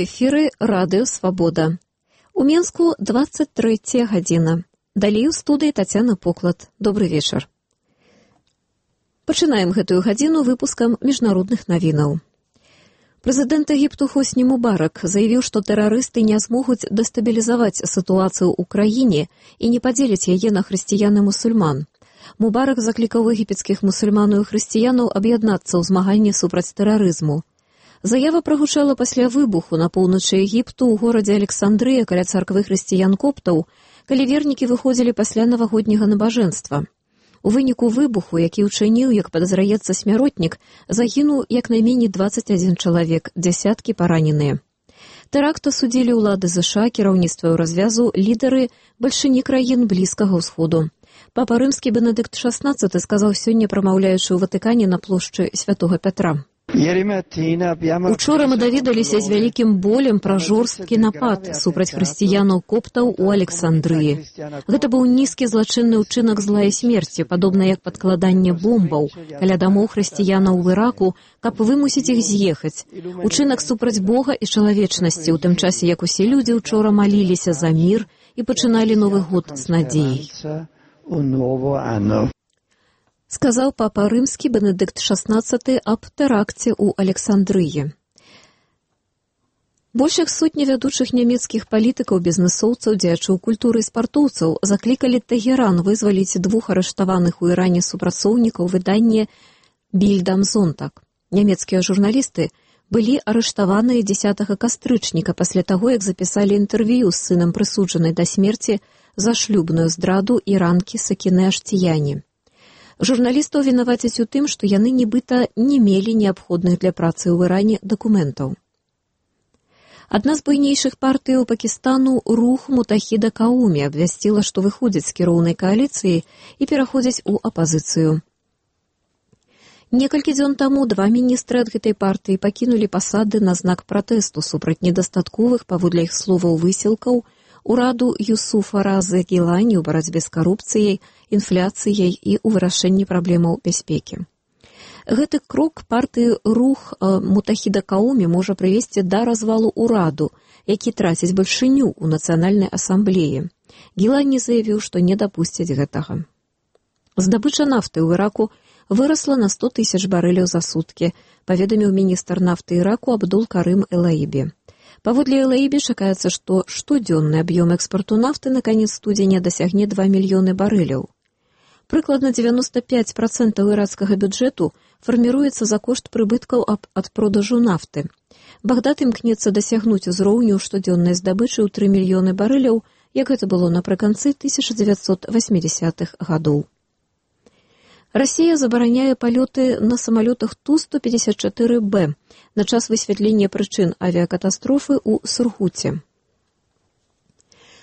эфіры радыё «Свабода». У Менску 23 гадзіна. Далей у студыі Тацяна Поклад. Добры вечар. Пачынаем гэтую гадзіну выпускам міжнародных навінаў. Прэзідэнт Егіпту Хосні Мубарак заявіў, што тэрарысты не змогуць дэстабілізаваць сітуацыю ў краіне і не падзеліць яе на хрысціян і мусульман. Мубарак заклікаў егіпецкіх мусульманаў і хрысціянаў аб'яднацца ў змаганні супраць тэрарызму. Заява прагучала пасля выбуху на поўначы Егіпту ў горадзе Александрыя каля царквы хрысціян-коптаў, калі вернікі выходзілі пасля навагодняга набажэнства. У выніку выбуху, які ўчыніў, як падазраецца, смяротнік, загінуў як найменей 21 чалавек, дзясяткі параненыя. Тэракт асудзілі ўлады ЗША, кіраўніцтва развязу, лідары бальшыні краін Блізкага ўсходу. Папа рымскі Бенедыкт XVI сказаў сёння, прамаўляючы ў Ватыкане на плошчы Святога Пятра. Учора мы даведаліся з вялікім болем пра жорсткі напад супраць хрысціянаў-коптаў у Александрыі. Гэта быў нізкі злачынны ўчынак зла і смерці, падобна як падкладанне бомбаў каля дамоў хрысціянаў у Іраку, каб вымусіць іх з'ехаць. Учынак супраць Бога і чалавечнасці, у тым часе, як усе людзі учора маліліся за мір і пачыналі Новы год з надзеяй. Сказаў папа рымскі Бенедыкт XVI аб тэракце ў Александрыі. Большых сотні вядучых нямецкіх палітыкаў, бізнэсоўцаў, дзеячоў культуры і спартоўцаў заклікалі Тэгеран вызваліць двух арыштаваных у Іране супрацоўнікаў выдання «Більд ам Зонтаг». Нямецкія журналісты былі арыштаваныя 10 кастрычніка пасля таго, як запісалі інтэрв'ю з сынам прысуджанай да смерці за шлюбную здраду іранкі Сакінэ Аштіяні. Журналістаў вінавацяць у тым, што яны нібыта не мелі неабходных для працы ў Іране дакументаў. Адна з буйнейшых партый у Пакістану, рух Мутахіда Каумі, абвясціла, што выходзіць з кіроўнай кааліцыі і пераходзіць у апазіцыю. Некалькі дзён таму два міністры ад гэтай партыі пакінулі пасады на знак пратэсту супраць недастатковых, паводле іх словаў, высілкаў ураду Юсуфа Разы Гілані ў барацьбе з карупцыяй, інфляцыяй і ў вырашэнні праблемаў бяспекі. Гэты крок партыі рух Мутахіда Каумі можа прывесці да развалу ўраду, які траціць бальшыню ў нацыянальнай асамблеі. Гілані заявіў, што не дапусцяць гэтага. Здабыча нафты ў Іраку вырасла на 100 000 барэляў за суткі, паведаміў міністр нафты Іраку Абдул Карым Элаібі. Паводле Элаібі чакаецца, што штодзённы аб'ём экспарту нафты на канец студзеня дасягне 2 мільёны барэляў. Прыкладна 95% іракскага бюджэту фарміруецца за кошт прыбыткаў ад продажу нафты. Багдад імкнецца дасягнуць узроўню штодзённай здабычы ў 3 мільёны барэляў, як гэта было напрыканцы 1980-х гадоў. Расія забараняе палёты на самалётах Ту-154Б на час высвятлення прычын авіякатастрофы ў Сургуце.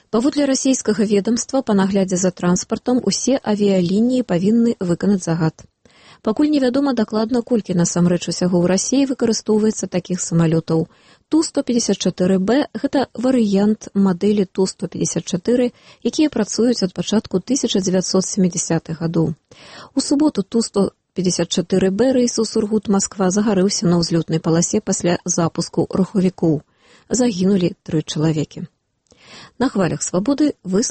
Паводле расійскага ведамства, па наглядзе за транспартам усе авіялініі павінны выканаць загад. Пакуль невядома дакладна, колькі насамрэч усяго ў Расіі выкарыстоўваецца такіх самалётаў. Ту-154Б – гэта варыянт мадэлі Ту-154, якія працуюць ад пачатку 1970-х гадоў. У суботу Ту-154Б рэйс у Сургут-Масква загарэўся на ўзлётнай паласе пасля запуску рухавікоў. Загінулі 3 чалавекі. На хвалях свабоды вы